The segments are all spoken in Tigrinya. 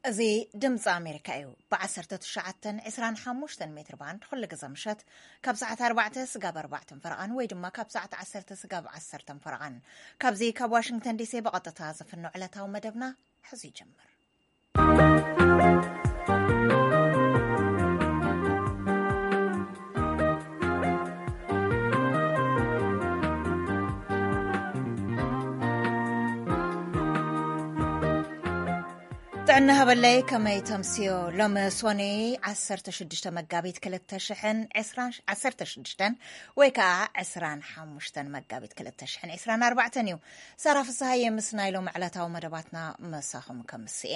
እዚ ድምፂ ኣሜሪካ እዩ። ብ19፣ 25 ሜትር ባንድ ኩሉ ግዘ ምሸት ካብ ሰዓት ኣርባዕተ ስጋብ ኣርባዕተን ፈረቓን ወይ ድማ ካብ ሰዓት ዓሰርተ ስጋብ ዓሰርተን ፈረቓን፣ ካብዚ ካብ ዋሽንግተን ዲሲ ብቐጥታ ዝፍኖ ዕለታዊ መደብና ሕዚ ይጀምር። ጥዕና ሃበለይ፣ ከመይ ተምስዮ? ሎሚ ሶኒ ዓሰርተ ሽዱሽተ መጋቢት ክልተ ሽሕን ዕስራን፣ ዓሰርተ ሽዱሽተን ወይ ከዓ ዕስራን ሓሙሽተን መጋቢት ክልተ ሽሕን ዕስራን ኣርባዕተን እዩ። ሳራ ፍስሃየ ምስ ናይ ሎሚ ዕለታዊ መደባትና መሳኹም ከምስኤ።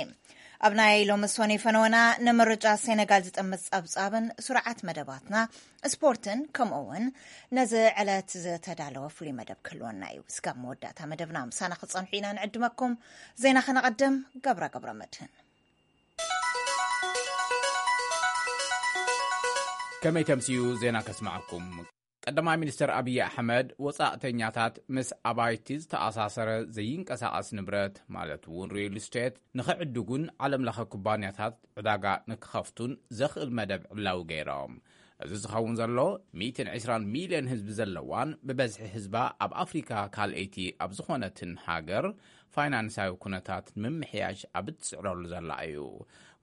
ኣብ ናይ ሎሚ ሶኒ ፈነወና ንምርጫ ሴነጋል ዝጥምት ጸብጻብን ስርዓት መደባትና፣ ስፖርትን ከምኡ እውን ነዚ ዕለት ዝተዳለወ ፍሉይ መደብ ክህልወና እዩ። እስካብ መወዳእታ መደብና ምሳና ክጸንሑ ኢና ንዕድመኩም። ዜና ከነቐድም፣ ገብረ ገብረ መድህን። ከመይ ተምስዩ ዜና ከስምዓኩም። ቀዳማይ ሚኒስተር ኣብይ ኣሕመድ ወጻእተኛታት ምስ ኣባይቲ ዝተኣሳሰረ ዘይንቀሳቐስ ንብረት ማለት እውን ሪል ስቴት ንኽዕድጉን ዓለም ለኸ ኩባንያታት ዕዳጋ ንክኸፍቱን ዘኽእል መደብ ዕላዊ ገይሮም። እዚ ዝኸውን ዘሎ ሚእትን ዕስራን ሚልዮን ህዝቢ ዘለዋን ብበዝሒ ህዝባ ኣብ ኣፍሪካ ካልኣይቲ ኣብ ዝኾነትን ሃገር ፋይናንሳዊ ኩነታት ንምምሕያሽ ኣብ እትጽዕረሉ ዘላ እዩ።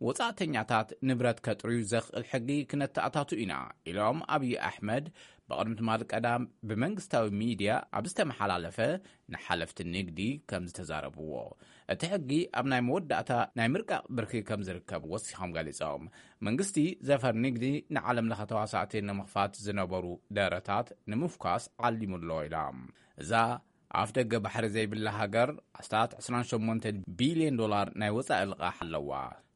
ወጻእተኛታት ንብረት ከጥርዩ ዘኽእል ሕጊ ክነተኣታቱ ኢና ኢሎም ኣብይ ኣሕመድ ብቕድሚ ትማሊ ቀዳም ብመንግስታዊ ሚድያ ኣብ ዝተመሓላለፈ ንሓለፍቲ ንግዲ ከም ዝተዛረብዎ። እቲ ሕጊ ኣብ ናይ መወዳእታ ናይ ምርቃቕ ብርኪ ከም ዝርከብ ወሲኾም ገሊጾም። መንግስቲ ዘፈር ንግዲ ንዓለም ለኸ ተዋሳእቲ ንምኽፋት ዝነበሩ ደረታት ንምፍኳስ ዓሊሙ ኣሎ ኢሎም። እዛ ኣፍ ደገ ባሕሪ ዘይብላ ሃገር ኣስታት ዕስራን ሸሞንተን ቢልዮን ዶላር ናይ ወጻኢ ልቓሕ ኣለዋ።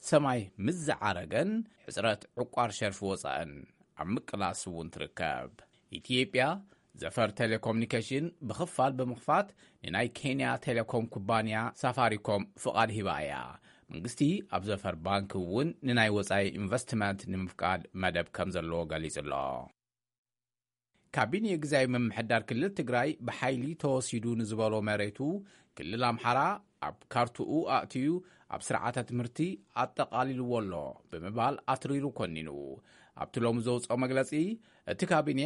ሰማይ ምስ ዝዓረገን ሕጽረት ዕቋር ሸርፊ ወጻእን ኣብ ምቅላስ እውን ትርከብ። ኢትዮጵያ ዘፈር ቴሌኮሙኒኬሽን ብኽፋል ብምኽፋት ንናይ ኬንያ ቴሌኮም ኩባንያ ሳፋሪኮም ፍቓድ ሂባ እያ። መንግስቲ ኣብ ዘፈር ባንክ እውን ንናይ ወጻኢ ኢንቨስትመንት ንምፍቃድ መደብ ከም ዘለዎ ገሊጹ ኣሎ። ካቢኔ ግዝያዊ ምምሕዳር ክልል ትግራይ ብሓይሊ ተወሲዱ ንዝበሎ መሬቱ ክልል ኣምሓራ ኣብ ካርትኡ ኣእትዩ ኣብ ስርዓተ ትምህርቲ ኣጠቓሊልዎ ኣሎ ብምባል ኣትሪሩ ኮኒኑ። ኣብቲ ሎሚ ዘውፅኦ መግለፂ፣ እቲ ካቢኔ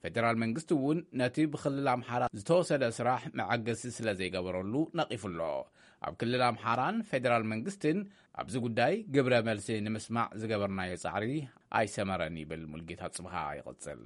ፌደራል መንግስቲ እውን ነቲ ብክልል ኣምሓራ ዝተወሰደ ስራሕ መዐገሲ ስለ ዘይገበረሉ ነቒፉ ኣሎ። ኣብ ክልል ኣምሓራን ፌደራል መንግስትን ኣብዚ ጉዳይ ግብረ መልሲ ንምስማዕ ዝገበርናዮ ጻዕሪ ኣይሰመረን ይብል ሙልጌታ ጽብሃ ይቕጽል።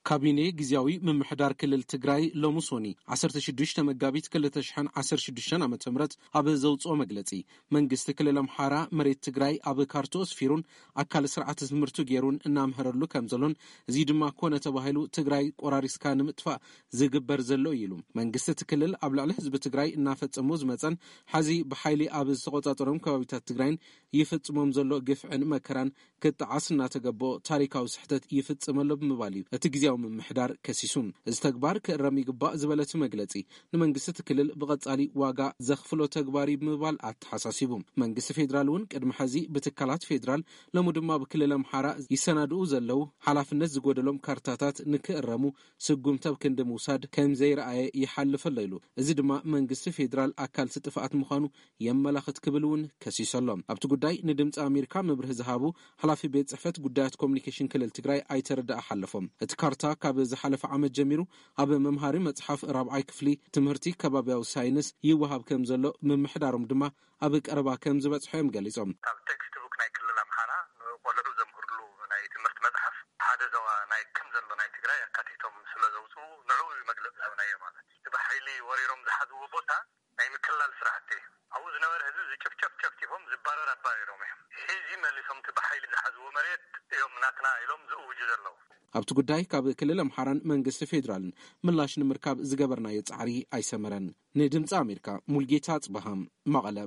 ካቢኔ ግዝያዊ ምምሕዳር ክልል ትግራይ ሎሚ ሶኒ ዓሰርተ ሽዱሽተ መጋቢት ክልተ ሽሕን ዓሰርተ ሽዱሽተን ዓመተ ምህረት ኣብ ዘውፅኦ መግለፂ፣ መንግስቲ ክልል ኣምሓራ መሬት ትግራይ ኣብ ካርትኡ ኣስፊሩን ኣካል ስርዓተ ትምህርቱ ገይሩን እናምሀረሉ ከም ዘሎን፣ እዚ ድማ ኮነ ተባሂሉ ትግራይ ቆራሪስካ ንምጥፋእ ዝግበር ዘሎ እዩ ኢሉ። መንግስቲ እቲ ክልል ኣብ ልዕሊ ህዝቢ ትግራይ እናፈፀሞ ዝመፀን ሐዚ ብሓይሊ ኣብ ዝተቆፃፀሮም ከባቢታት ትግራይን ይፍፅሞም ዘሎ ግፍዕን መከራን ክጠዓስ እናተገበኦ ታሪካዊ ስሕተት ይፍፅም ኣሎ ብምባል እዩ እቲ ግዝያዊ ምምሕዳር ከሲሱ። እዚ ተግባር ክእረም ይግባእ ዝበለ እቲ መግለፂ፣ ንመንግስቲ እቲ ክልል ብቐፃሊ ዋጋ ዘኽፍሎ ተግባር እዩ ብምባል ኣተሓሳሲቡ። መንግስቲ ፌዴራል እውን ቅድሚ ሐዚ ብትካላት ፌዴራል፣ ሎሚ ድማ ብክልል ኣምሓራ ይሰናድኡ ዘለዉ ሓላፍነት ዝጎደሎም ካርታታት ንክእረሙ ስጉምቲ ኣብ ክንዲ ምውሳድ ከም ዘይረኣየ ይሓልፍ ኣሎ ኢሉ። እዚ ድማ መንግስቲ ፌዴራል ኣካል እቲ ጥፍኣት ምዃኑ የመላኽት ክብል እውን ከሲሱ ኣሎ። ኣብቲ ጉዳይ ንድምፂ ኣሜሪካ መብርሂ ዝሃቡ ሓላፊ ቤት ፅሕፈት ጉዳያት ኮሚኒኬሽን ክልል ትግራይ ኣይተ ረዳኢ ሓለፎም፣ እቲ ካርታ ካብ ዝሓለፈ ዓመት ጀሚሩ ኣብ መምሃሪ መፅሓፍ ራብዓይ ክፍሊ ትምህርቲ ከባቢያዊ ሳይንስ ይወሃብ ከም ዘሎ ምምሕዳሮም ድማ ኣብ ቀረባ ከም ዝበፅሖ እዮም ገሊፆም። ካብ ቴክስት ቡክ ናይ ክልል ኣምሓራ ንቆልዑ ዘምህርሉ ናይ ትምህርቲ መፅሓፍ ሓደ ዞባ ናይ ከም ዘሎ ናይ ትግራይ ኣካቲቶም ስለ ዘውፅኡ ንዕኡ እዩ መግለፂ ዝሃብናዮ። ማለት እቲ ብሓይሊ ወሪሮም ዝሓዝዎ ቦታ ናይ ምክልላል ስራሕቲ እዩ። ኣብኡ ዝነበረ ህዝቢ ዝጭፍጨፍ ጨፍጭፎም ዝባረር ኣባሪሮም እዮም። ሕዚ መሊሶም እቲ ብሓይሊ ዝሓዝዎ መሬት እዮም ናትና ኢሎም ዝእውጁ ዘለዉ። ኣብቲ ጉዳይ ካብ ክልል ኣምሓራን መንግስቲ ፌዴራልን ምላሽ ንምርካብ ዝገበርናዮ ጻዕሪ ኣይሰመረን። ንድምፂ ኣሜሪካ ሙልጌታ ጽበሃም መቐለ።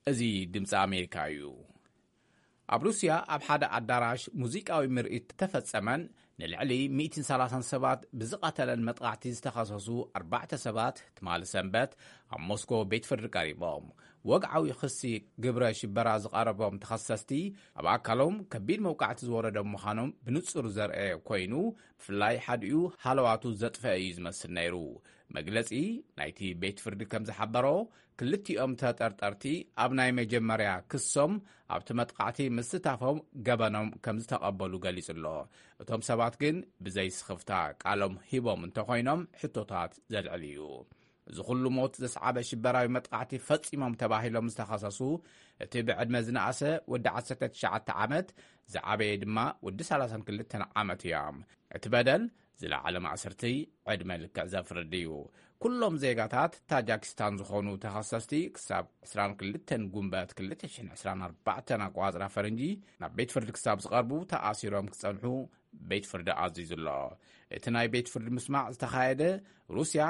እዚ ድምፂ ኣሜሪካ እዩ። ኣብ ሩስያ ኣብ ሓደ ኣዳራሽ ሙዚቃዊ ምርኢት ተፈጸመን ንልዕሊ ሚእትን ሰላሳን ሰባት ብዝቐተለን መጥቓዕቲ ዝተኸሰሱ ኣርባዕተ ሰባት ትማሊ ሰንበት ኣብ ሞስኮ ቤት ፍርዲ ቀሪቦም። ወግዓዊ ክሲ ግብረ ሽበራ ዝቐረቦም ተኸሰስቲ፣ ኣብ ኣካሎም ከቢድ መውቃዕቲ ዝወረዶም ምዃኖም ብንጹር ዘርአ ኮይኑ፣ ብፍላይ ሓዲኡ ሃለዋቱ ዘጥፈአ እዩ ዝመስል ነይሩ። መግለጺ ናይቲ ቤት ፍርዲ ከም ዝሓበሮ፣ ክልቲኦም ተጠርጠርቲ ኣብ ናይ መጀመርያ ክሶም ኣብቲ መጥቃዕቲ ምስታፎም ገበኖም ከም ዝተቐበሉ ገሊጹ ኣሎ። እቶም ሰባት ግን ብዘይ ስኽፍታ ቃሎም ሂቦም እንተኾይኖም፣ ሕቶታት ዘልዕል እዩ። እዚ ኩሉ ሞት ዘስዓበ ሽበራዊ መጥቃዕቲ ፈጺሞም ተባሂሎም ዝተኸሰሱ፣ እቲ ብዕድመ ዝነኣሰ ወዲ ዓሰርተ ትሽዓተ ዓመት፣ ዝዓበየ ድማ ወዲ ሰላሳን ክልተን ዓመት እዮም። እቲ በደል ዝለዓለ ማእሰርቲ ዕድመ ልክዕ ዘፍርድ እዩ። ኩሎም ዜጋታት ታጃኪስታን ዝኾኑ ተኸሰስቲ፣ ክሳብ ዕስራን ክልተን ጉንበት ክልተ ሽሕን ዕስራን ኣርባዕተን ኣቋጽራ ፈረንጂ ናብ ቤት ፍርዲ ክሳብ ዝቐርቡ ተኣሲሮም ክጸንሑ ቤት ፍርዲ ኣዚዙ ኣሎ። እቲ ናይ ቤት ፍርዲ ምስማዕ ዝተኻየደ ሩስያ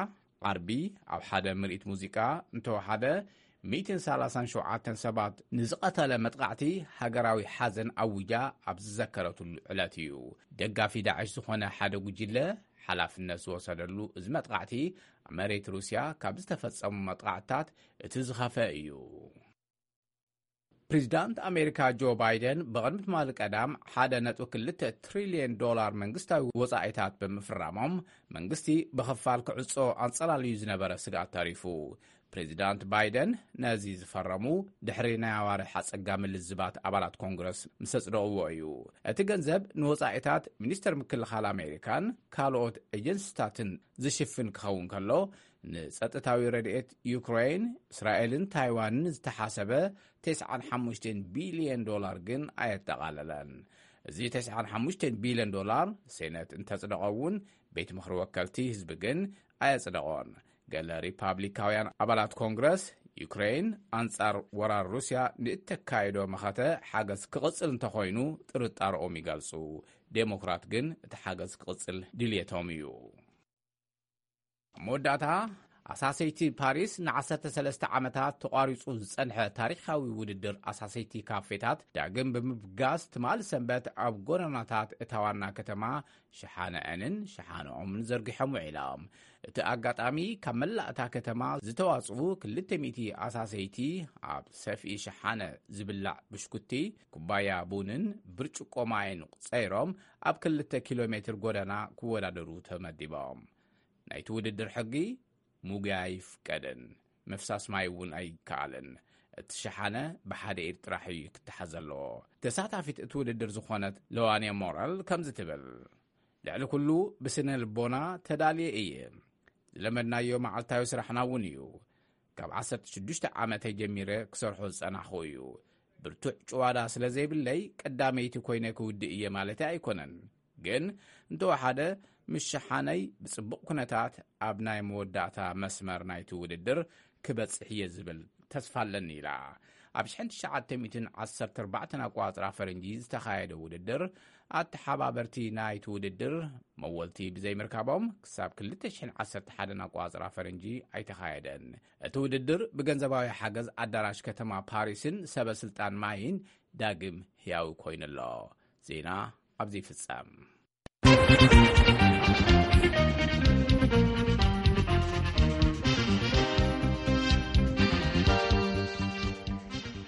ዓርቢ ኣብ ሓደ ምርኢት ሙዚቃ እንተወሓደ ሚእትን ሰላሳን ሸውዓተን ሰባት ንዝቐተለ መጥቃዕቲ ሃገራዊ ሓዘን ኣዊጃ ኣብ ዝዘከረትሉ ዕለት እዩ። ደጋፊ ዳዕሽ ዝኾነ ሓደ ጉጅለ ሓላፍነት ዝወሰደሉ እዚ መጥቃዕቲ፣ ኣብ መሬት ሩስያ ካብ ዝተፈጸሙ መጥቃዕትታት እቲ ዝኸፈ እዩ። ፕሬዚዳንት ኣሜሪካ ጆ ባይደን ብቕድሚ ትማሊ ቀዳም ሓደ ነጥቢ ክልተ ትሪልዮን ዶላር መንግስታዊ ወጻኢታት ብምፍራሞም፣ መንግስቲ ብኽፋል ክዕጾ ኣንጸላልዩ ዝነበረ ስግኣት ተሪፉ። ፕሬዚዳንት ባይደን ነዚ ዝፈረሙ ድሕሪ ናይ ኣዋርሕ ኣጸጋሚ ልዝባት ኣባላት ኮንግረስ ምስ ኣጽደቕዎ እዩ። እቲ ገንዘብ ንወጻኢታት ሚኒስተር ምክልኻል ኣሜሪካን ካልኦት ኤጀንሲታትን ዝሽፍን ክኸውን ከሎ፣ ንጸጥታዊ ረድኤት ዩክሬን፣ እስራኤልን ታይዋንን ዝተሓሰበ ተስዓን ሓሙሽተን ቢልዮን ዶላር ግን ኣየጠቓለለን። እዚ ተስዓን ሓሙሽተን ቢልዮን ዶላር ሴነት እንተጽደቐ እውን፣ ቤት ምኽሪ ወከልቲ ህዝቢ ግን ኣየጽደቖን። ገለ ሪፓብሊካውያን ኣባላት ኮንግረስ፣ ዩክሬን ኣንጻር ወራር ሩስያ ንእተካይዶ መኸተ ሓገዝ ክቕጽል እንተኾይኑ ጥርጣረኦም ይገልጹ። ዴሞክራት ግን እቲ ሓገዝ ክቕጽል ድልየቶም እዩ። ኣብ መወዳእታ፣ ኣሳሰይቲ ፓሪስ ንዓሰርተ ሰለስተ ዓመታት ተቋሪጹ ዝጸንሐ ታሪኻዊ ውድድር ኣሳሰይቲ ካፌታት ዳግም ብምብጋስ፣ ትማሊ ሰንበት ኣብ ጎደናታት እታ ዋና ከተማ ሸሓነአንን ሸሓነኦምን ዘርጊሖም ውዒሎም። እቲ ኣጋጣሚ፣ ካብ መላእ እታ ከተማ ዝተዋጽኡ ክልተ ሚእቲ ኣሳሰይቲ፣ ኣብ ሰፍኢ ሸሓነ ዝብላዕ ብሽኩቲ፣ ኩባያ ቡንን ብርጭቆ ማይን ጸይሮም፣ ኣብ ክልተ ኪሎ ሜትር ጎደና ክወዳደሩ ተመዲቦም። ናይቲ ውድድር ሕጊ፣ ሙግያ ኣይፍቀድን፣ ምፍሳስ ማይ እውን ኣይከኣልን። እቲ ሸሓነ ብሓደ ኢድ ጥራሕ እዩ ክተሓዝ ዘለዎ። ተሳታፊት እቲ ውድድር ዝኾነት ለዋንያ ሞራል ከምዚ ትብል፣ ልዕሊ ኩሉ ብስነ ልቦና ተዳልየ እየ። ዝለመድናዮ መዓልታዊ ስራሕና እውን እዩ። ካብ ዓሰርተ ሽዱሽተ ዓመተይ ጀሚረ ክሰርሖ ዝጸናሕኹ እዩ። ብርቱዕ ጭዋዳ ስለ ዘይብለይ ቀዳመይቲ ኮይነ ክውድእ እየ ማለተይ ኣይኮነን። ግን እንተወሓደ ምስ ሸሓነይ ብጽቡቕ ኩነታት ኣብ ናይ መወዳእታ መስመር ናይቲ ውድድር ክበጽሕ እየ ዝብል ተስፋ ኣለኒ ኢላ። ኣብ ሽሕን ትሽዓተ ሚእትን ዓሰርተ ኣርባዕተን ኣቋጽራ ፈረንጂ ዝተኻየደ ውድድር፣ ኣተሓባበርቲ ናይቲ ውድድር መወልቲ ብዘይምርካቦም ክሳብ ክልተ ሽሕን ዓሰርተ ሓደን ኣቋጽራ ፈረንጂ ኣይተኻየደን። እቲ ውድድር ብገንዘባዊ ሓገዝ ኣዳራሽ ከተማ ፓሪስን ሰበ ስልጣን ማይን ዳግም ህያዊ ኮይኑ ኣሎ። ዜና ኣብዚ ይፍጸም።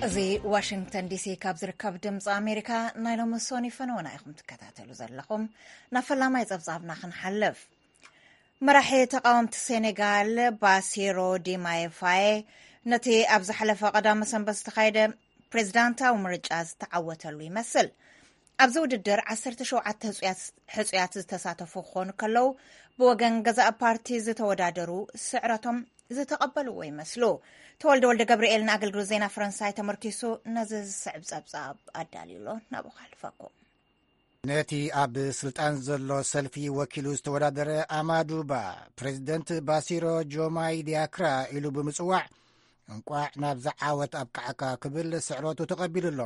እዚ ዋሽንግተን ዲሲ ካብ ዝርከብ ድምፂ ኣሜሪካ ናይ ሎሚ ሶኒ ፈነወና ኢኹም ትከታተሉ ዘለኹም። ናብ ፈላማይ ጸብጻብና ክንሓልፍ። መራሒ ተቃወምቲ ሴኔጋል ባሲሮ ዲማየ ፋየ ነቲ ኣብ ዝሓለፈ ቀዳመ ሰንበት ዝተኻየደ ፕሬዝዳንታዊ ምርጫ ዝተዓወተሉ ይመስል። ኣብዚ ውድድር ዓሰርተ ሸውዓተ ህጹያት ዝተሳተፉ ክኾኑ ከለዉ፣ ብወገን ገዛእ ፓርቲ ዝተወዳደሩ ስዕረቶም ዝተቐበልዎ ይመስሉ። ተወልደ ወልደ ገብርኤል ንኣገልግሎት ዜና ፈረንሳይ ተመርኪሱ ነዚ ዝስዕብ ጸብጻብ ኣዳልዩ ኣሎ። ናብኡ ከሕልፈኩም። ነቲ ኣብ ስልጣን ዘሎ ሰልፊ ወኪሉ ዝተወዳደረ ኣማዱባ፣ ፕሬዚደንት ባሲሮ ጆማይ ዲያክራ ኢሉ ብምጽዋዕ፣ እንቋዕ ናብዚ ዓወት ኣብቅዓካ ክብል ስዕረቱ ተቐቢሉ ኣሎ።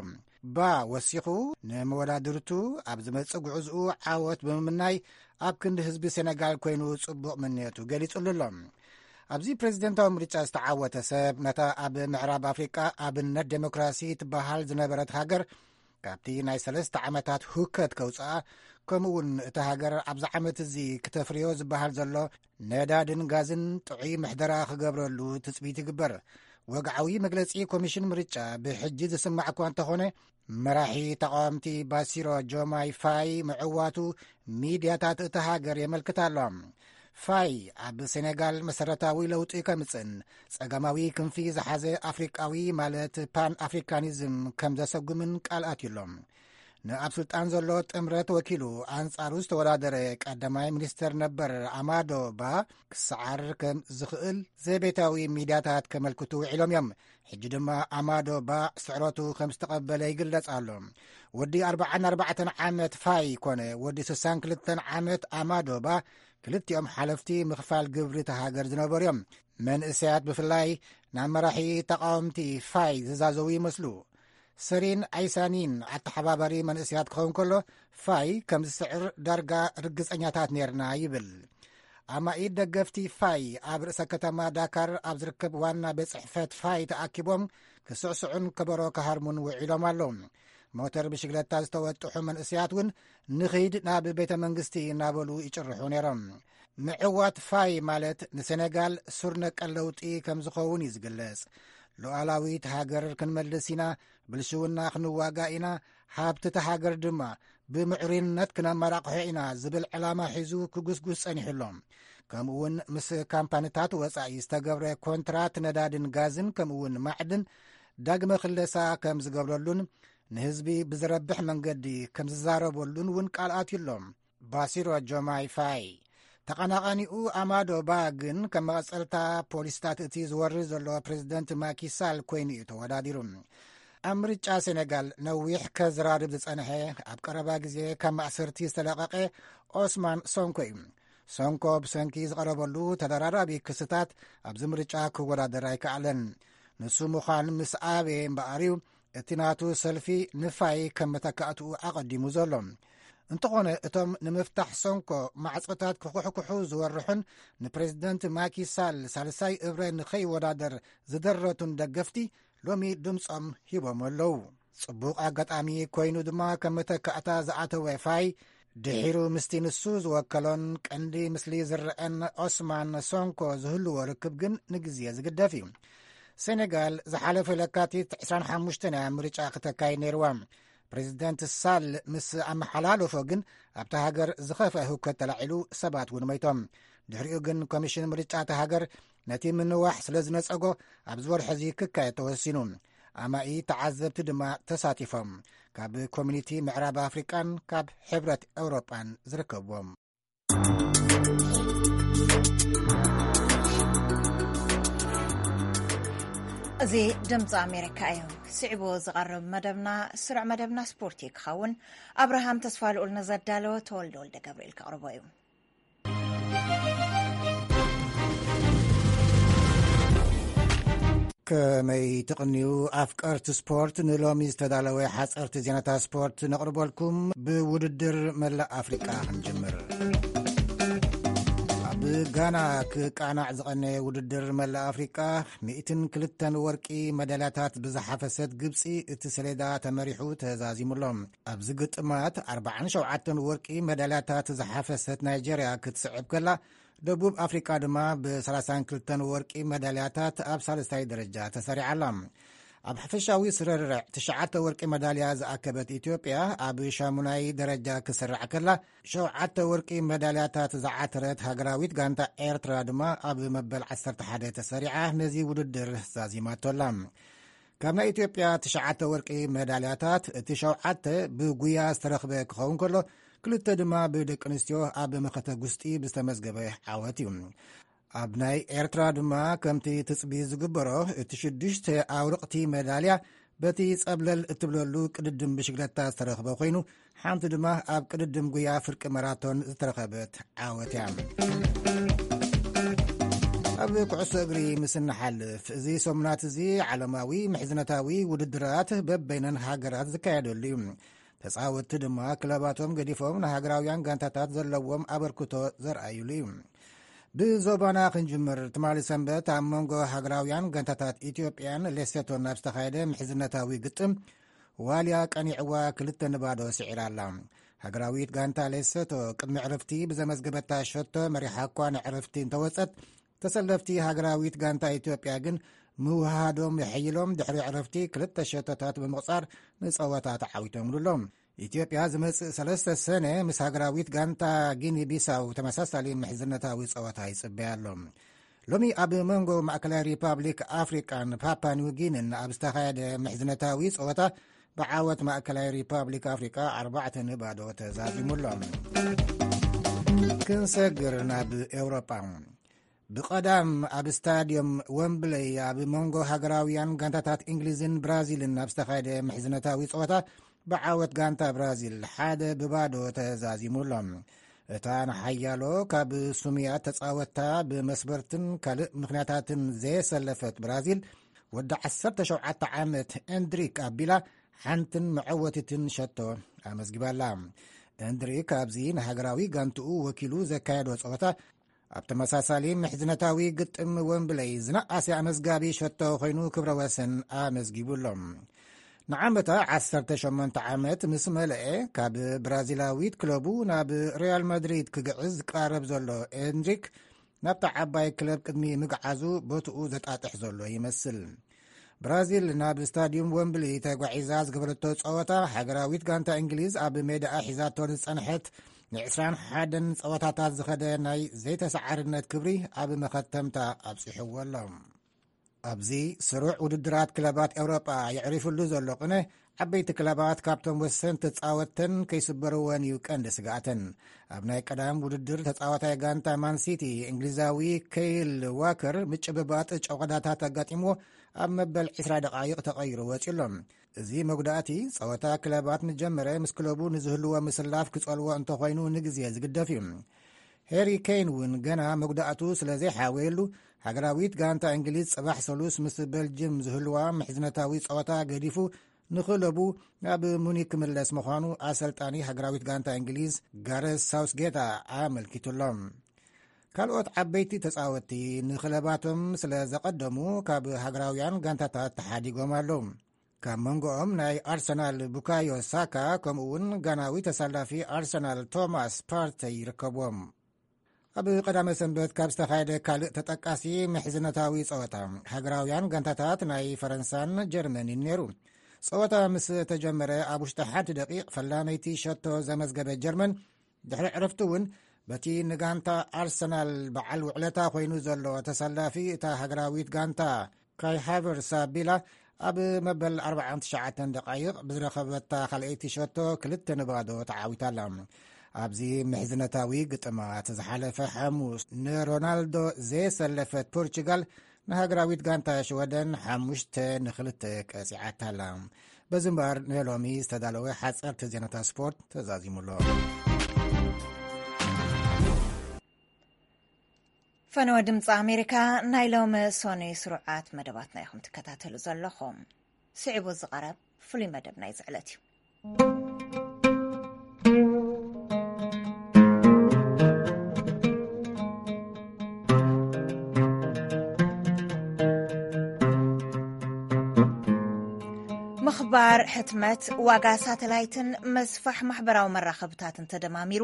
ባ ወሲኹ፣ ንመወዳድርቱ ኣብ ዝመጽእ ጉዕዝኡ ዓወት ብምምናይ፣ ኣብ ክንዲ ህዝቢ ሴነጋል ኮይኑ ጽቡቕ ምንየቱ ገሊጹሉ ኣሎ። ኣብዚ ፕሬዚደንታዊ ምርጫ ዝተዓወተ ሰብ፣ ነታ ኣብ ምዕራብ ኣፍሪቃ ኣብነት ዴሞክራሲ ትበሃል ዝነበረት ሃገር፣ ካብቲ ናይ ሰለስተ ዓመታት ሁከት ከውጽኣ፣ ከምኡ እውን እታ ሃገር ኣብዚ ዓመት እዚ ክተፍርዮ ዝበሃል ዘሎ ነዳድን ጋዝን ጥዑይ ምሕደራ ክገብረሉ ትጽቢት ይግበር። ወግዓዊ መግለጺ ኮሚሽን ምርጫ ብሕጂ ዝስማዕ እኳ እንተኾነ፣ መራሒ ተቓወምቲ ባሲሮ ጆማይ ፋይ ምዕዋቱ ሚድያታት እታ ሃገር የመልክት ኣሎ። ፋይ ኣብ ሴኔጋል መሰረታዊ ለውጢ ከምጽእን ጸጋማዊ ክንፊ ዝሓዘ ኣፍሪቃዊ ማለት ፓን ኣፍሪካኒዝም ከም ዘሰጉምን ቃል ኣትዩ ኣሎ። ንኣብ ስልጣን ዘሎ ጥምረት ወኪሉ ኣንጻሩ ዝተወዳደረ ቀዳማይ ሚኒስተር ነበር ኣማዶ ባ ክሰዓር ከም ዝኽእል ዘቤታዊ ሚድያታት ከመልክቱ ውዒሎም እዮም። ሕጂ ድማ ኣማዶ ባ ስዕረቱ ከም ዝተቐበለ ይግለጽ ኣሎ። ወዲ ኣርባዓን ኣርባዕተን ዓመት ፋይ ኮነ ወዲ ስሳን ክልተን ዓመት ኣማዶ ባ ክልቲኦም ሓለፍቲ ምኽፋል ግብሪ እታ ሃገር ዝነበሩ እዮም። መንእሰያት ብፍላይ ናብ መራሒ ተቓወምቲ ፋይ ዝዛዘዉ ይመስሉ። ሰሪን ኣይሳኒን ኣተሓባባሪ መንእሰያት ክኸውን ከሎ፣ ፋይ ከም ዝስዕር ዳርጋ ርግጸኛታት ኔርና ይብል። ኣማኢት ደገፍቲ ፋይ ኣብ ርእሰ ከተማ ዳካር ኣብ ዝርከብ ዋና ቤት ጽሕፈት ፋይ ተኣኪቦም ክስዕስዑን ከበሮ ክሃርሙን ውዒሎም ኣለዉ። ሞተር ብሽግለታ ዝተወጥሑ መንእሰያት እውን ንኺድ ናብ ቤተ መንግስቲ እናበሉ ይጭርሑ ነይሮም። ምዕዋት ፋይ ማለት ንሴኔጋል ሱር ነቀል ለውጢ ከም ዝኸውን እዩ ዝግለጽ። ሉዓላዊት ሃገር ክንመልስ ኢና፣ ብልሽውና ክንዋጋእ ኢና፣ ሃብቲ እታ ሃገር ድማ ብምዕሩይነት ክነመራቕሖ ኢና ዝብል ዕላማ ሒዙ ክጉስጉስ ጸኒሑ ኣሎ። ከምኡ እውን ምስ ካምፓኒታት ወጻኢ ዝተገብረ ኮንትራት ነዳድን ጋዝን ከምኡ እውን ማዕድን ዳግመ ክለሳ ከም ዝገብረሉን ንህዝቢ ብዝረብሕ መንገዲ ከም ዝዛረበሉን እውን ቃል ኣትዩ ኣሎ። ባሲሮ ጆማይ ፋይ። ተቐናቓኒኡ ኣማዶ ባ ግን ከም መቐጸልታ ፖሊስታት እቲ ዝወርድ ዘሎ ፕሬዚደንት ማኪሳል ኮይኑ እዩ ተወዳዲሩ። ኣብ ምርጫ ሴኔጋል ነዊሕ ከዝራርብ ዝጸንሐ፣ ኣብ ቀረባ ግዜ ካብ ማእሰርቲ ዝተለቐቐ ኦስማን ሶንኮ እዩ። ሶንኮ ብሰንኪ ዝቐረበሉ ተደራራቢ ክስታት ኣብዚ ምርጫ ክወዳደር ኣይከኣለን። ንሱ ምዃን ምስ ኣበየ እምበኣር እዩ እቲ ናቱ ሰልፊ ንፋይ ከም መተካእትኡ ኣቐዲሙ ዘሎ። እንተኾነ እቶም ንምፍታሕ ሶንኮ ማዕጾታት ክኹሕኩሑ ዝወርሑን ንፕሬዚደንት ማኪ ሳል ሳልሳይ እብረ ንኸይወዳደር ዝደረቱን ደገፍቲ ሎሚ ድምጾም ሂቦም ኣለዉ። ጽቡቕ ኣጋጣሚ ኮይኑ ድማ ከም መተካእታ ዝኣተወ ፋይ ድሒሩ ምስቲ ንሱ ዝወከሎን ቀንዲ ምስሊ ዝረአን ኦስማን ሶንኮ ዝህልዎ ርክብ ግን ንግዜ ዝግደፍ እዩ። ሴኔጋል ዝሓለፈ ለካቲት ዕስራን ሓሙሽተን እያ ምርጫ ክተካይድ ነይርዋ። ፕሬዚደንት ሳል ምስ ኣመሓላለፎ ግን ኣብታ ሃገር ዝኸፍአ ህውከት ተላዒሉ ሰባት እውን መይቶም። ድሕሪኡ ግን ኮሚሽን ምርጫ እታ ሃገር ነቲ ምንዋሕ ስለ ዝነጸጎ ኣብዚ ወርሒ እዚ ክካየድ ተወሲኑ። ኣማኢ ተዓዘብቲ ድማ ተሳቲፎም። ካብ ኮሚኒቲ ምዕራብ ኣፍሪቃን ካብ ሕብረት ኤውሮጳን ዝርከብዎም። እዚ ድምፂ ኣሜሪካ እዩ። ስዕቡ ዝቐርብ መደብና ስሩዕ መደብና ስፖርት እዩ ክኸውን። ኣብርሃም ተስፋ ልኡል ንዘዳለወ ተወልደ ወልደ ገብርኤል ከቕርቦ እዩ። ከመይ ትቕንዩ ኣፍቀርቲ ስፖርት? ንሎሚ ዝተዳለወ ሓፀርቲ ዜናታት ስፖርት ነቕርበልኩም። ብውድድር መላእ ኣፍሪቃ ክንጅምር። ኣብ ጋና ክቃናዕ ዝቐነየ ውድድር መላእ ኣፍሪቃ፣ ሚእትን ክልተን ወርቂ መዳልያታት ብዝሓፈሰት ግብፂ እቲ ሰሌዳ ተመሪሑ ተዛዚሙ ኣሎ። ኣብዚ ግጥማት ኣርባዓን ሸውዓተን ወርቂ መዳልያታት ዝሓፈሰት ናይጀርያ ክትስዕብ ከላ፣ ደቡብ ኣፍሪቃ ድማ ብሰላሳን ክልተን ወርቂ መዳልያታት ኣብ ሳልሳይ ደረጃ ተሰሪዓ ኣላ። ኣብ ሓፈሻዊ ስርርዕ ትሽዓተ ወርቂ መዳልያ ዝኣከበት ኢትዮጵያ ኣብ ሻሙናይ ደረጃ ክስራዕ ከላ፣ ሸውዓተ ወርቂ መዳልያታት ዝዓተረት ሃገራዊት ጋንታ ኤርትራ ድማ ኣብ መበል ዓሰርተ ሓደ ተሰሪዓ ነዚ ውድድር ዛዚማቶ ኣላ። ካብ ናይ ኢትዮጵያ ትሽዓተ ወርቂ መዳልያታት እቲ ሸውዓተ ብጉያ ዝተረኽበ ክኸውን ከሎ፣ ክልተ ድማ ብደቂ ኣንስትዮ ኣብ መኸተ ጉስጢ ብዝተመዝገበ ዓወት እዩ። ኣብ ናይ ኤርትራ ድማ ከምቲ ትጽቢ ዝግበሮ እቲ ሽዱሽተ ኣውርቕቲ መዳልያ በቲ ጸብለል እትብለሉ ቅድድም ብሽግለታ ዝተረኽበ ኮይኑ፣ ሓንቲ ድማ ኣብ ቅድድም ጉያ ፍርቂ ማራቶን ዝተረኸበት ዓወት እያ። ኣብ ኩዕሶ እግሪ ምስ እንሓልፍ፣ እዚ ሰሙናት እዚ ዓለማዊ ምሕዝነታዊ ውድድራት በበይነን ሃገራት ዝካየደሉ እዩ። ተጻወትቲ ድማ ክለባቶም ገዲፎም ንሃገራውያን ጋንታታት ዘለዎም ኣበርክቶ ዘርኣዩሉ እዩ። ብዞባና ክንጅምር፣ ትማሊ ሰንበት ኣብ መንጎ ሃገራውያን ጋንታታት ኢትዮጵያን ሌሴቶን ኣብ ዝተኻየደ ምሕዝነታዊ ግጥም፣ ዋልያ ቀኒዕዋ ክልተ ንባዶ ስዒራ ኣላ። ሃገራዊት ጋንታ ሌሴቶ ቅድሚ ዕረፍቲ ብዘመዝገበታ ሸቶ መሪሓ እኳ ንዕረፍቲ እንተወጸት፣ ተሰለፍቲ ሃገራዊት ጋንታ ኢትዮጵያ ግን ምውሃዶም የሐይሎም ድሕሪ ዕረፍቲ ክልተ ሸቶታት ብምቕጻር ንጸወታ ተዓዊቶምሉ ኣለዉ። ኢትዮጵያ ዝመጽእ ሰለስተ ሰነ ምስ ሃገራዊት ጋንታ ጊኒ ቢሳው ተመሳሳሊ ምሕዝነታዊ ጸወታ ይጽበያ ኣሎ። ሎሚ ኣብ መንጎ ማእከላይ ሪፓብሊክ ኣፍሪቃን ፓፓ ኒውጊንን ኣብ ዝተኻየደ ምሕዝነታዊ ጸወታ ብዓወት ማእከላይ ሪፓብሊክ ኣፍሪቃ ኣርባዕተ ንባዶ ተዛዚሙ ኣሎ። ክንሰግር ናብ ኤውሮጳ። ብቐዳም ኣብ ስታድዮም ወምብለይ ኣብ መንጎ ሃገራውያን ጋንታታት እንግሊዝን ብራዚልን ኣብ ዝተኻየደ ምሕዝነታዊ ጸወታ ብዓወት ጋንታ ብራዚል ሓደ ብባዶ ተዛዚሙ ኣሎ። እታ ንሓያሎ ካብ ስሙያት ተጻወትታ ብመስበርትን ካልእ ምኽንያታትን ዘየሰለፈት ብራዚል፣ ወዲ ዓሰርተ ሸውዓተ ዓመት ኤንድሪክ ኣቢላ ሓንትን መዐወቲትን ሸቶ ኣመዝጊባላ። ኤንድሪክ ኣብዚ ንሃገራዊ ጋንትኡ ወኪሉ ዘካየዶ ጸወታ ኣብ ተመሳሳሊ ምሕዝነታዊ ግጥም ወምብለይ ዝነኣሰ ኣመዝጋቢ ሸቶ ኮይኑ ክብረ ወሰን ኣመዝጊቡ ኣሎ። ንዓመታ ዓሰርተ ሸሞንተ ዓመት ምስ መለአ ካብ ብራዚላዊት ክለቡ ናብ ሪያል ማድሪድ ክግዕዝ ዝቃረብ ዘሎ ኤንድሪክ ናብታ ዓባይ ክለብ ቅድሚ ምግዓዙ ቦትኡ ዘጣጥሕ ዘሎ ይመስል። ብራዚል ናብ ስታድዩም ወምብሊ ተጓዒዛ ዝገበረቶ ጸወታ ሃገራዊት ጋንታ እንግሊዝ ኣብ ሜዳኣ ሒዛቶ ዝጸንሐት ንዕስራን ሓደን ጸወታታት ዝኸደ ናይ ዘይተሰዓርነት ክብሪ ኣብ መኸተምታ ኣብጺሕዎ ኣሎ። ኣብዚ ስሩዕ ውድድራት ክለባት ኤውሮጳ የዕሪፍሉ ዘሎ ቅነ ዓበይቲ ክለባት ካብቶም ወሰንቲ ተጻወተን ከይስበርወን እዩ ቀንዲ ስግኣተን። ኣብ ናይ ቀዳም ውድድር ተጻዋታይ ጋንታ ማንሲቲ እንግሊዛዊ ከይል ዋከር ምጭብባጥ ጨቆዳታት ኣጋጢምዎ ኣብ መበል ዕስራ ደቓይቕ ተቐይሩ ወጺኡ ኣሎ። እዚ መጉዳእቲ ጸወታ ክለባት ምስ ጀመረ ምስ ክለቡ ንዝህልዎ ምስላፍ ክጸልዎ እንተኾይኑ ንግዜ ዝግደፍ እዩ። ሄሪ ኬን እውን ገና መጉዳእቱ ስለ ዘይሓወየሉ ሃገራዊት ጋንታ እንግሊዝ ጽባሕ ሰሉስ ምስ በልጅም ዝህልዋ ምሕዝነታዊ ጸወታ ገዲፉ ንክለቡ ናብ ሙኒክ ክምለስ ምዃኑ ኣሰልጣኒ ሃገራዊት ጋንታ እንግሊዝ ጋረስ ሳውስጌታ ኣመልኪቱ ኣሎ። ካልኦት ዓበይቲ ተጻወትቲ ንክለባቶም ስለ ዘቐደሙ ካብ ሃገራውያን ጋንታታት ተሓዲጎም ኣለዉ። ካብ መንጎኦም ናይ ኣርሰናል ቡካዮ ሳካ ከምኡ እውን ጋናዊ ተሳላፊ ኣርሰናል ቶማስ ፓርተይ ይርከብዎም። ኣብ ቀዳመ ሰንበት ካብ ዝተኻየደ ካልእ ተጠቃሲ ምሕዝነታዊ ጸወታ ሃገራውያን ጋንታታት ናይ ፈረንሳን ጀርመንን ነይሩ። ጸወታ ምስ ተጀመረ ኣብ ውሽጢ ሓንቲ ደቂቕ ፈላመይቲ ሸቶ ዘመዝገበ ጀርመን ድሕሪ ዕረፍቲ እውን በቲ ንጋንታ ኣርሰናል በዓል ውዕለታ ኮይኑ ዘሎ ተሰላፊ እታ ሃገራዊት ጋንታ ካይ ሃቨርስ ኣቢላ ኣብ መበል ኣርባዓን ትሽዓተን ደቃይቕ ብዝረኸበታ ካልኣይቲ ሸቶ ክልተ ንባዶ ተዓዊታላ። ኣብዚ ምሕዝነታዊ ግጥማት ዝሓለፈ ሓሙስ ንሮናልዶ ዘየሰለፈት ፖርቹጋል ንሃገራዊት ጋንታ ሽወደን ሓሙሽተ ንክልተ ቀጺዓታላ። በዚ እምበኣር ንሎሚ ዝተዳለወ ሓጸርቲ ዜናታት ስፖርት ተዛዚሙ ኣሎ። ፈነወ ድምፂ ኣሜሪካ ናይ ሎሚ ሶኒ ስሩዓት መደባትና ኢኹም ትከታተሉ ዘለኹም። ስዒቡ ዝቐረብ ፍሉይ መደብ ናይ ዝዕለት እዩ። ምኽባር ሕትመት፣ ዋጋ ሳተላይትን መስፋሕ ማሕበራዊ መራኸብታትን ተደማሚሩ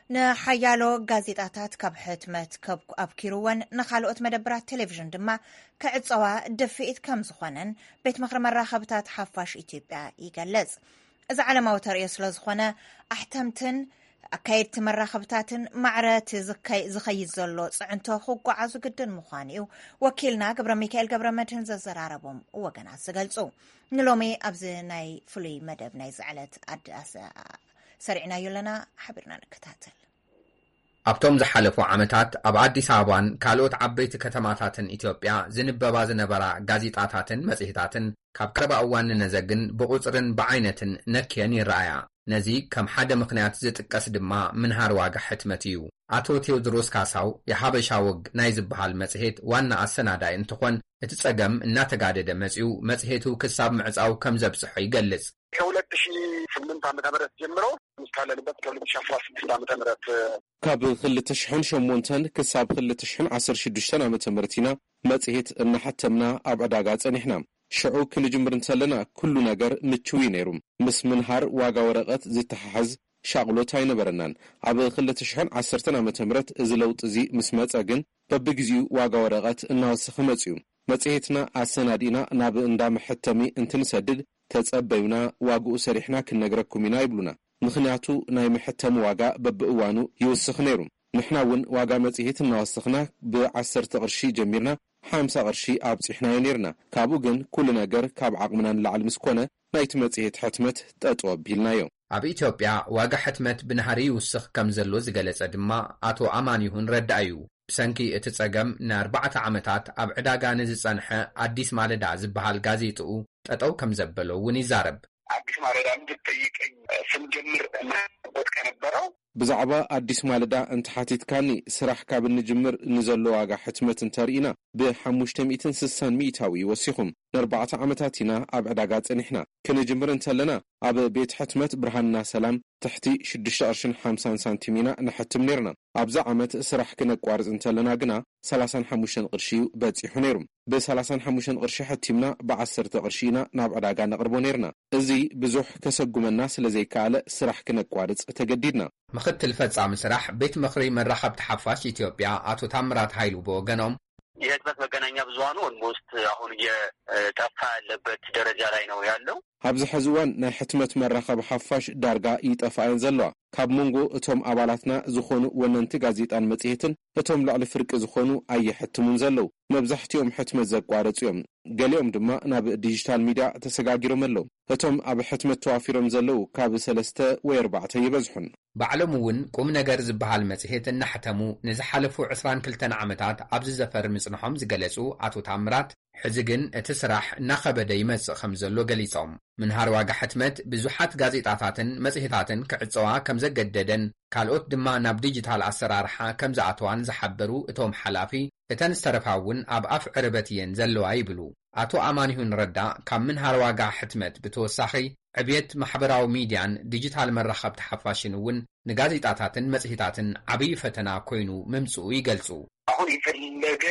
ንሓያሎ ጋዜጣታት ካብ ሕትመት ከብ-፣ ኣብኪሩወን ንኻልኦት መደብራት ቴሌቪዥን ድማ ክዕጸዋ ድፍኢት ከም ዝኾነን ቤት ምኽሪ መራኸብታት ሓፋሽ ኢትዮጵያ ይገልጽ። እዚ ዓለማዊ ተርእዮ ስለ ዝኾነ ኣሕተምትን ኣካየድቲ መራኸብታትን ማዕረ እቲ ዝከይ-፣ ዝኸይድ ዘሎ ጽዕንቶ ክጓዓዙ ግድን ምዃኑ እዩ ወኪልና ገብረ ሚካኤል ገብረ መድህን ዘዘራረቦም ወገናት ዝገልጹ። ንሎሚ ኣብዚ ናይ ፍሉይ መደብ ናይ ዝዕለት ኣድ-፣ ኣስ-፣ ሰሪዕናዮ ኣለና፣ ሓቢርና ንከታተል። ኣብቶም ዝሓለፉ ዓመታት ኣብ ኣዲስ ኣበባን ካልኦት ዓበይቲ ከተማታትን ኢትዮጵያ ዝንበባ ዝነበራ ጋዜጣታትን መጽሔታትን ካብ ቀረባ እዋን ንነዘግን ብቑጽርን ብዓይነትን ነክየን ይረኣያ። ነዚ ከም ሓደ ምኽንያት ዝጥቀስ ድማ ምንሃር ዋጋ ሕትመት እዩ። ኣቶ ቴዎድሮስ ካሳው የሓበሻ ወግ ናይ ዝበሃል መጽሔት ዋና ኣሰናዳኢ እንትኾን፣ እቲ ጸገም እናተጋደደ መጺኡ መጽሔቱ ክሳብ ምዕጻው ከም ዘብጽሖ ይገልጽ። ከሁለት ሺህ ስምንት ዓመተ ምህረት ጀምሮ እስካለንበት ከሁለት ሺህ አስራ ስድስት ዓመተ ምህረት ካብ ክልተ ሽሕን ሸሞንተን ክሳብ ክልተ ሽሕን ዓሰርተ ሽዱሽተን ዓመተ ምህረት ኢና መጽሔት እናሓተምና ኣብ ዕዳጋ ጸኒሕና። ሽዑ ክንጅምር እንተለና ኩሉ ነገር ምችው እዩ ነይሩ። ምስ ምንሃር ዋጋ ወረቐት ዝተሓሓዝ ሻቕሎት ኣይነበረናን። ኣብ ክልተ ሽሕን ዓሰርተን ዓመተ ምህረት እዚ ለውጢ እዚ ምስ መጸ ግን በብግዜኡ ዋጋ ወረቐት እናወሰኸ መጺኡ። መጽሔትና ኣሰናዲእና ናብ እንዳ መሐተሚ እንትንሰድድ፣ "ተጸበዩና፣ ዋግኡ ሰሪሕና ክንነግረኩም ኢና" ይብሉና። ምኽንያቱ፣ ናይ መሐተሚ ዋጋ በብእዋኑ ይውስኽ ነይሩ። ንሕና እውን ዋጋ መጽሔት እናወሰኽና፣ ብዓሰርተ ቅርሺ ጀሚርና ሓምሳ ቅርሺ ኣብጺሕናዮ ነይርና። ካብኡ ግን፣ ኩሉ ነገር ካብ ዓቕምና ንላዕሊ ምስ ኮነ፣ ናይቲ መጽሔት ሕትመት ጠጠው ኣቢልናዮ። ኣብ ኢትዮጵያ ዋጋ ሕትመት ብናህሪ ይውስኽ ከም ዘሎ ዝገለጸ ድማ ኣቶ ኣማኒሁን ረዳእ እዩ። ብሰንኪ እቲ ጸገም፣ ንኣርባዕተ ዓመታት ኣብ ዕዳጋ ንዝጸንሐ ኣዲስ ማለዳ ዝበሃል ጋዜጥኡ ጠጠው ከም ዘበሎ እውን ይዛረብ። አዲስ ማለዳ እንድትጠይቀኝ ስንጀምር እናበት ከነበረው ብዛዕባ ኣዲስ ማለዳ እንተሓቲትካኒ፣ ስራሕ ካብ እንጅምር ንዘሎ ዋጋ ሕትመት እንተርኢና፣ ብሓሙሽተ ሚእትን ስሳን ሚእታዊ እዩ ወሲኹም። ንኣርባዕተ ዓመታት ኢና ኣብ ዕዳጋ ጸኒሕና። ክንጅምር እንተለና፣ ኣብ ቤት ሕትመት ብርሃንና ሰላም ትሕቲ ሽዱሽተ ቅርሽን ሓምሳን ሳንቲም ኢና ንሕትም ነይርና። ኣብዚ ዓመት ስራሕ ክነቋርጽ እንተለና ግና፣ ሰላሳን ሓሙሽተን ቅርሺ እዩ በጺሑ ነይሩ። ብሰላሳን ሓሙሽተን ቅርሺ ሕቲምና፣ ብዓሰርተ ቅርሺ ኢና ናብ ዕዳጋ ነቕርቦ ነይርና። እዚ ብዙሕ ከሰጉመና ስለ ዘይከኣለ፣ ስራሕ ክነቋርጽ ተገዲድና። ምኽትል ፈጻሚ ስራሕ ቤት ምኽሪ መራኸብቲ ሓፋሽ ኢትዮጵያ ኣቶ ታምራት ሃይሉ ብወገኖም፣ የህትመት መገናኛ ብዙሃኑ ኦልሞስት አሁን እየጠፋ ያለበት ደረጃ ላይ ነው ያለው። ኣብዚ ሕዚ እዋን ናይ ሕትመት መራኸቢ ሓፋሽ ዳርጋ ይጠፍኣ እየን ዘለዋ። ካብ መንጎ እቶም ኣባላትና ዝኾኑ ወነንቲ ጋዜጣን መጽሔትን፣ እቶም ልዕሊ ፍርቂ ዝኾኑ ኣየሕትሙን ዘለዉ። መብዛሕትኦም ሕትመት ዘቋረጹ እዮም። ገሊኦም ድማ ናብ ዲጂታል ሚድያ ተሰጋጊሮም ኣለዉ። እቶም ኣብ ሕትመት ተዋፊሮም ዘለዉ ካብ ሰለስተ ወይ ኣርባዕተ ይበዝሑን። ባዕሎም እውን ቁም ነገር ዝበሃል መጽሔት እናሕተሙ ንዝሓለፉ ዕስራን ክልተን ዓመታት ኣብዚ ዘፈር ምጽንሖም ዝገለጹ ኣቶ ታምራት፣ ሕዚ ግን እቲ ስራሕ እናኸበደ ይመጽእ ከም ዘሎ ገሊጾም። ምንሃር ዋጋ ሕትመት ብዙሓት ጋዜጣታትን መጽሔታትን ክዕጸዋ ከም ዘገደደን፣ ካልኦት ድማ ናብ ዲጂታል ኣሰራርሓ ከም ዝኣተዋን ዝሓበሩ እቶም ሓላፊ፣ እተን ዝተረፋ እውን ኣብ ኣፍ ዕርበት እየን ዘለዋ ይብሉ። ኣቶ ኣማኒሁን ረዳ ካብ ምንሃር ዋጋ ሕትመት ብተወሳኺ፣ ዕብየት ማሕበራዊ ሚድያን ዲጂታል መራኸብቲ ሓፋሽን እውን ንጋዜጣታትን መጽሔታትን ዓብዪ ፈተና ኮይኑ ምምጽኡ ይገልጹ። አሁን የፈለገ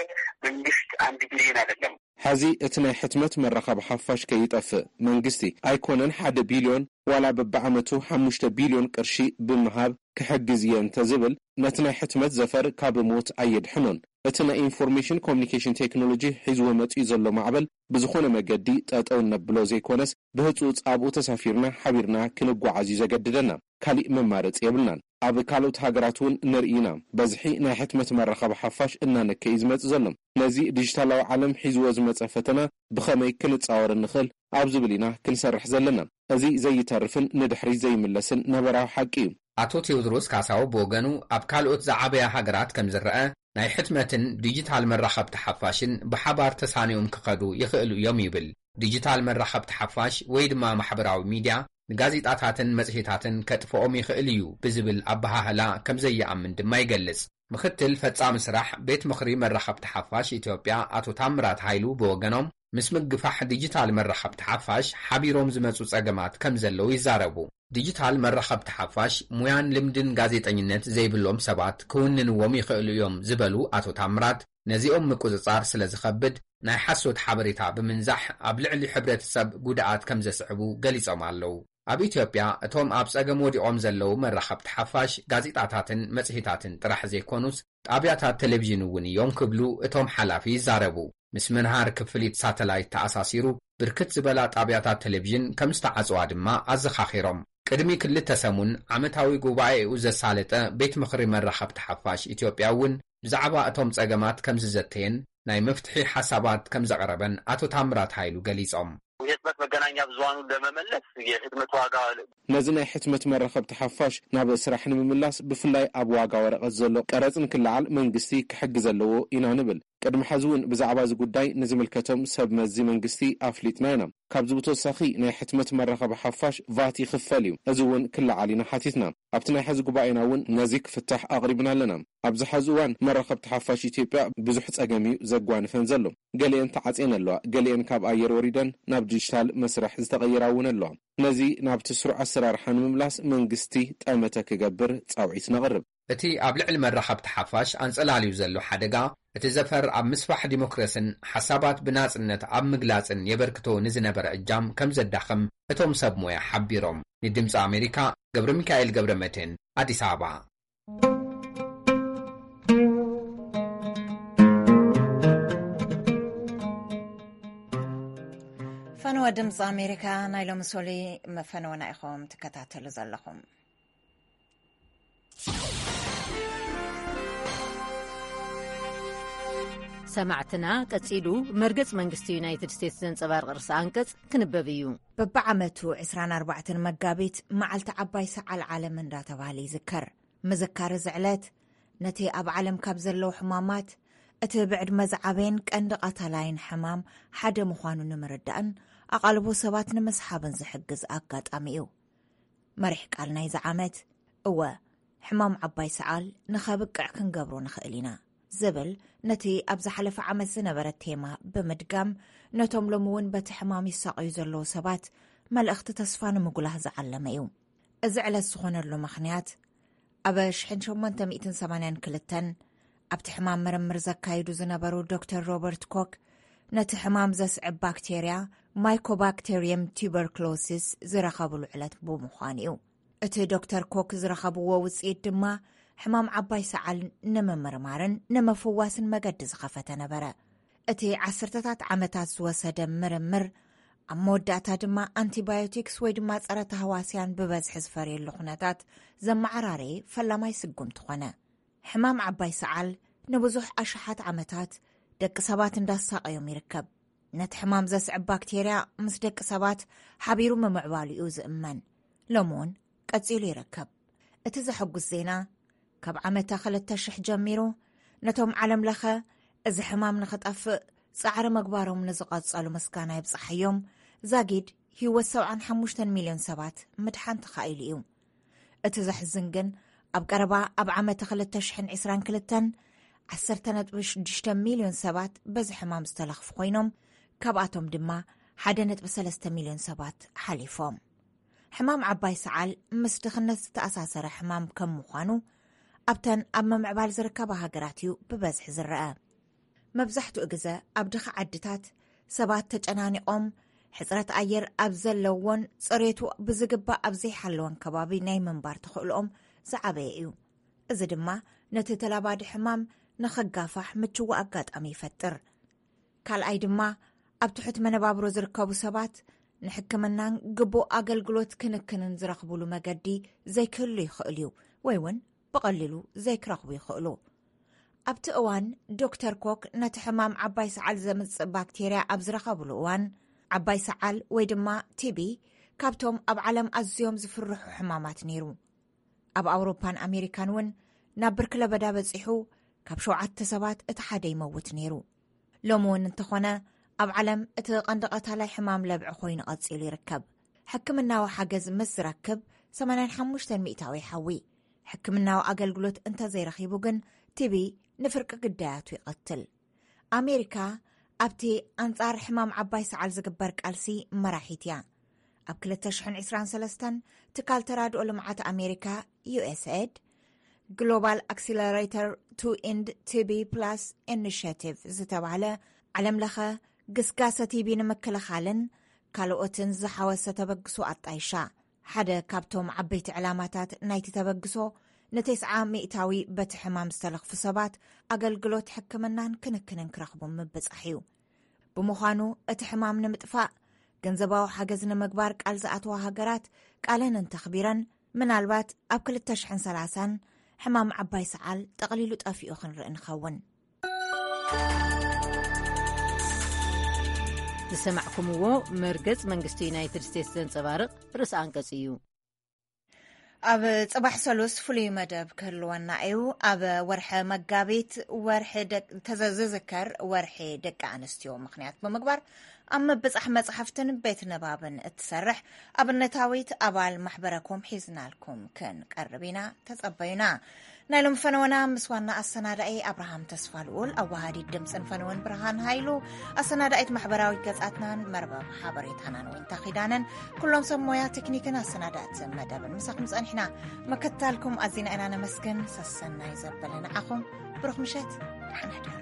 መንግስት አንድ ቢሊዮን አይደለም። ሕዚ እቲ ናይ ሕትመት መራኸቢ ሓፋሽ ከይጠፍእ መንግስቲ ኣይኮነን ሓደ ቢልዮን፣ ዋላ በብዓመቱ ሓሙሽተ ቢልዮን ቅርሺ ብምሃብ ክሕግዝ እየ እንተዝብል፣ ነቲ ናይ ሕትመት ዘፈር ካብ ሞት ኣየድሕኖን። እቲ ናይ ኢንፎርሜሽን ኮሚኒኬሽን ቴክኖሎጂ ሒዝዎ መጺኡ ዘሎ ማዕበል ብዝኾነ መገዲ ጠጠው እነብሎ ዘይኮነስ፣ ብህጹጽ ኣብኡ ተሳፊርና ሓቢርና ክንጓዓዝ እዩ ዘገድደና። ካሊእ መማረጺ የብልናን። ኣብ ካልኦት ሃገራት እውን ንርኢ ኢና። በዝሒ ናይ ሕትመት መራኸቢ ሓፋሽ እናነከየ እዩ ዝመጽእ ዘሎ። ነዚ ዲጂታላዊ ዓለም ሒዝዎ ዝመጸ ፈተና ብኸመይ ክንጻወር እንኽእል ኣብ ዝብል ኢና ክንሰርሕ ዘለና። እዚ ዘይተርፍን ንድሕሪት ዘይምለስን ነበራዊ ሓቂ እዩ። ኣቶ ቴዎድሮስ ካሳው ብወገኑ፣ ኣብ ካልኦት ዝዓበያ ሃገራት ከም ዝረአ፣ ናይ ሕትመትን ዲጂታል መራኸብቲ ሓፋሽን ብሓባር ተሳኒዮም ክኸዱ ይኽእሉ እዮም ይብል። ዲጂታል መራኸብቲ ሓፋሽ ወይ ድማ ማሕበራዊ ሚድያ ንጋዜጣታትን መጽሔታትን ከጥፍኦም ይኽእል እዩ ብዝብል ኣበሃህላ ከም ዘይኣምን ድማ ይገልጽ። ምኽትል ፈጻሚ ስራሕ ቤት ምኽሪ መራኸብቲ ሓፋሽ ኢትዮጵያ ኣቶ ታምራት ሃይሉ ብወገኖም፣ ምስ ምግፋሕ ዲጂታል መራኸብቲ ሓፋሽ ሓቢሮም ዝመጹ ጸገማት ከም ዘለዉ ይዛረቡ። ዲጂታል መራኸብቲ ሓፋሽ ሙያን ልምድን ጋዜጠኝነት ዘይብሎም ሰባት ክውንንዎም ይኽእሉ እዮም ዝበሉ ኣቶ ታምራት፣ ነዚኦም ምቁጽጻር ስለ ዝኸብድ፣ ናይ ሓሶት ሓበሬታ ብምንዛሕ ኣብ ልዕሊ ሕብረተሰብ ጉድኣት ከም ዘስዕቡ ገሊጾም ኣለዉ። ኣብ ኢትዮጵያ እቶም ኣብ ጸገም ወዲቖም ዘለዉ መራኸብቲ ሓፋሽ፣ ጋዜጣታትን መጽሔታትን ጥራሕ ዘይኮኑስ፣ ጣብያታት ቴሌቪዥን እውን እዮም ክብሉ እቶም ሓላፊ ይዛረቡ። ምስ ምንሃር ክፍሊት ሳተላይት ተኣሳሲሩ፣ ብርክት ዝበላ ጣብያታት ቴሌቪዥን ከም ዝተዓጽዋ ድማ ኣዘኻኺሮም። ቅድሚ ክልተ ሰሙን ዓመታዊ ጉባኤኡ ዘሳለጠ ቤት ምኽሪ መራኸብቲ ሓፋሽ ኢትዮጵያ እውን ብዛዕባ እቶም ጸገማት ከም ዝዘተየን ናይ መፍትሒ ሓሳባት ከም ዘቕረበን ኣቶ ታምራት ሃይሉ ገሊጾም። የህትመት መገናኛ ብዙሃኑን ለመመለስ የህትመት ዋጋ ነዚ ናይ ሕትመት መራኸብቲ ሓፋሽ ናብ ስራሕ ንምምላስ፣ ብፍላይ ኣብ ዋጋ ወረቐት ዘሎ ቀረጽ ንክለዓል መንግስቲ ክሕግዝ ኣለዎ ኢና ንብል። ቅድሚ ሕዚ እውን ብዛዕባ እዚ ጉዳይ ንዝምልከቶም ሰብ መዚ መንግስቲ ኣፍሊጥና ኢና። ካብዚ ብተወሳኺ፣ ናይ ሕትመት መራኸቢ ሓፋሽ ቫት ይኽፈል እዩ። እዚ እውን ክለዓል ኢና ሓቲትና። ኣብቲ ናይ ሕዚ ጉባኤና እውን ነዚ ክፍታሕ ኣቕሪብና ኣለና። ኣብዚ ሕዚ እዋን መራኸብቲ ሓፋሽ ኢትዮጵያ ብዙሕ ጸገም እዩ ዘጓንፈን ዘሎ። ገሊአን ተዓጽየን ኣለዋ፣ ገሊአን ካብ ኣየር ወሪደን ናብ ዲጂታል መስርሕ ዝተቐየራ እውን ኣለዋ። ነዚ ናብቲ ስሩዕ ኣሰራርሓ ንምምላስ መንግስቲ ጠመተ ክገብር ጻውዒት ነቕርብ። እቲ ኣብ ልዕሊ መራኸብቲ ሓፋሽ ኣንጸላልዩ ዘሎ ሓደጋ፣ እቲ ዘፈር ኣብ ምስፋሕ ዲሞክራስን ሓሳባት ብናጽነት ኣብ ምግላጽን የበርክቶ ንዝነበረ እጃም ከም ዘዳኽም እቶም ሰብ ሞያ ሓቢሮም። ንድምጺ ኣሜሪካ፣ ገብረ ሚካኤል ገብረ መድህን፣ ኣዲስ ኣበባ። ድምፂ ኣሜሪካ ናይ ሎሚ ሶሊ መፈነወና ኢኹም ትከታተሉ ዘለኹም። ሰማዕትና፣ ቀጺሉ መርገጽ መንግስቲ ዩናይትድ ስቴትስ ዘንጸባርቕ ርእሰ ኣንቀጽ ክንበብ እዩ። በብዓመቱ ዕስራን ኣርባዕተን መጋቢት መዓልቲ ዓባይ ሰዓል ዓለም እንዳተባህለ ይዝከር። ምዝካር እዚ ዕለት፣ ነቲ ኣብ ዓለም ካብ ዘለዉ ሕማማት፣ እቲ ብዕድመ ዝዓበየን ቀንዲ ቀታላይን ሕማም ሓደ ምዃኑ ንምርዳእን ኣቓልቦ ሰባት ንምስሓብን ዝሕግዝ ኣጋጣሚ እዩ። መሪሕ ቃል ናይዚ ዓመት፣ እወ፣ ሕማም ዓባይ ሰዓል ንኸብቅዕ ክንገብሮ ንኽእል ኢና ዝብል፣ ነቲ ኣብ ዝሓለፈ ዓመት ዝነበረ ቴማ ብምድጋም፣ ነቶም ሎሚ እውን በቲ ሕማም ይሳቐዩ ዘለዉ ሰባት መልእኽቲ ተስፋ ንምጉላህ ዝዓለመ እዩ። እዚ ዕለት ዝኾነሉ ምኽንያት፣ ኣብ ሽሕን ሸሞንተ ሚእትን ሰማንያን ክልተን ኣብቲ ሕማም ምርምር ዘካይዱ ዝነበሩ ዶክተር ሮበርት ኮክ፣ ነቲ ሕማም ዘስዕብ ባክቴርያ ማይኮባክቴርየም ቱበርክሎሲስ ዝረኸብሉ ዕለት ብምዃኑ እዩ። እቲ ዶክተር ኮክ ዝረኸብዎ ውጽኢት ድማ፣ ሕማም ዓባይ ሰዓል ንምምርማርን ንምፍዋስን መገዲ ዝኸፈተ ነበረ። እቲ ዓሰርተታት ዓመታት ዝወሰደ ምርምር፣ ኣብ መወዳእታ ድማ ኣንቲባዮቲክስ ወይ ድማ ጸረ ተህዋስያን ብበዝሒ ዝፈርየሉ ኩነታት ዘመዓራረየ ፈላማይ ስጉምቲ ኾነ። ሕማም ዓባይ ሰዓል ንብዙሕ ኣሽሓት ዓመታት ደቂ ሰባት እንዳሳቐዮም ይርከብ። ነቲ ሕማም ዘስዕብ ባክቴርያ ምስ ደቂ ሰባት ሓቢሩ ምምዕባሉ እዩ ዝእመን። ሎሚ እውን ቀጺሉ ይርከብ። እቲ ዘሐጉስ ዜና፣ ካብ ዓመተ ክልተ ሽሕ ጀሚሩ፣ ነቶም ዓለም ለኸ እዚ ሕማም ንኽጠፍእ ጻዕሪ ምግባሮም ንዝቐጸሉ ምስጋና ይብጻሓዮም፣ ዛጊድ ህይወት ሰብዓን ሓሙሽተን ሚልዮን ሰባት ምድሓን ተኻኢሉ እዩ። እቲ ዘሕዝን ግን፣ ኣብ ቀረባ ኣብ ዓመተ ክልተ ሽሕን ዕስራን ክልተን፣ ዓሰርተ ነጥቢ ሽዱሽተ ሚልዮን ሰባት በዚ ሕማም ዝተለኽፉ ኮይኖም፣ ካብኣቶም ድማ ሓደ ነጥቢ ሰለስተ ሚልዮን ሰባት ሓሊፎም። ሕማም ዓባይ ሰዓል ምስ ድኽነት ዝተኣሳሰረ ሕማም ከም ምዃኑ፣ ኣብተን ኣብ ምምዕባል ዝርከባ ሃገራት እዩ ብበዝሒ ዝረአ። መብዛሕትኡ ግዘ ኣብ ድኻ ዓድታት ሰባት ተጨናኒቖም፣ ሕጽረት ኣየር ኣብ ዘለዎን ጽሬቱ ብዝግባእ ኣብ ዘይሓለወን ከባቢ ናይ ምንባር ተኽእሎኦም ዝዓበየ እዩ። እዚ ድማ ነቲ ተላባዲ ሕማም ንኽጋፋሕ ምችዋ ኣጋጣሚ ይፈጥር። ካልኣይ ድማ፣ ኣብ ትሑት መነባብሮ ዝርከቡ ሰባት ንሕክምናን ግቡእ ኣገልግሎት ክንክንን ዝረኽቡሉ መገዲ ዘይክህሉ ይኽእል እዩ፣ ወይ እውን ብቐሊሉ ዘይክረኽቡ ይኽእሉ። ኣብቲ እዋን ዶክተር ኮክ ነቲ ሕማም ዓባይ ሰዓል ዘምጽእ ባክቴርያ ኣብ ዝረኸብሉ እዋን፣ ዓባይ ሰዓል ወይ ድማ ቲቢ ካብቶም ኣብ ዓለም ኣዝዮም ዝፍርሑ ሕማማት ነይሩ። ኣብ ኣውሮፓን ኣሜሪካን እውን ናብ ብርኪ ለበዳ በጺሑ፣ ካብ ሸውዓተ ሰባት እቲ ሓደ ይመውት ነይሩ። ሎሚ እውን እንተኾነ፣ ኣብ ዓለም እቲ ቀንዲ ቀታላይ ሕማም ለብዒ ኮይኑ ቀጺሉ ይርከብ። ሕክምናዊ ሓገዝ ምስ ዝረክብ፣ ሰማንያን ሓሙሽተን ሚእታዊ ይሓዊ። ሕክምናዊ ኣገልግሎት እንተዘይረኺቡ ግን፣ ቲቢ ንፍርቂ ግዳያቱ ይቐትል። ኣሜሪካ ኣብቲ ኣንጻር ሕማም ዓባይ ሰዓል ዝግበር ቃልሲ መራሒት እያ። ኣብ ክልተ ሽሕን ዕስራን ሰለስተን፣ ትካል ተራድኦ ልምዓት ኣሜሪካ፣ ዩ ኤስ ኤድ፣ ግሎባል ኣክሲለሬተር ቱ ኢንድ ቲቢ ፕላስ ኢኒሽቲቭ ዝተባህለ ዓለም ለኸ ግስጋሰ ቲቢ ንምክልኻልን ካልኦትን ዝሓወሰ ተበግሶ ኣጣይሻ። ሓደ ካብቶም ዓበይቲ ዕላማታት ናይቲ ተበግሶ፣ ንተስዓ ሚእታዊ በቲ ሕማም ዝተለኽፉ ሰባት ኣገልግሎት ሕክምናን ክንክንን ክረኽቡ ምብጻሕ እዩ። ብምዃኑ፣ እቲ ሕማም ንምጥፋእ ገንዘባዊ ሓገዝ ንምግባር ቃል ዝኣተዋ ሃገራት ቃለን እንተኽቢረን፣ ምናልባት ኣብ ክልተ ሽሕን ሰላሳን ሕማም ዓባይ ሰዓል ጠቕሊሉ ጠፊኡ ክንርኢ ንኸውን። ዝሰማዕኩምዎ መርገጽ መንግስቲ ዩናይትድ ስቴትስ ዘንጸባርቕ ርእሰ ኣንቀጽ እዩ። ኣብ ጽባሕ ሰሉስ ፍሉይ መደብ ክህልወና እዩ። ኣብ ወርሒ መጋቢት፣ ወርሒ ደቅ-፣ ተዘ-፣ ዝዝከር ወርሒ ደቂ ኣንስትዮ ምኽንያት ብምግባር፣ ኣብ ምብጻሕ መጽሓፍትን ቤት ንባብን እትሰርሕ ኣብነታዊት ኣባል ማሕበረኮም ሒዝናልኩም ክንቀርብ ኢና። ተጸበዩና። ናይ ሎም ፈነወና ምስ ዋና ኣሰናዳኢ ኣብርሃም ተስፋ ልኡል፣ ኣዋሃዲት ድምፅን ፈነወን ብርሃን ሃይሉ፣ ኣሰናዳኢት ማሕበራዊ ገጻትናን መርበብ ሓበሬታናን ወይንታ ኪዳነን፣ ኩሎም ሰብ ሞያ ቴክኒክን ኣሰናዳእቲ መደብን ምሳኹም ጸኒሕና። መከታልኩም ኣዚና ኢና ነመስግን። ሰሰናይ ዘበለ ንዓኹም። ብሩኽ ምሸት። ደሓና ደሩ።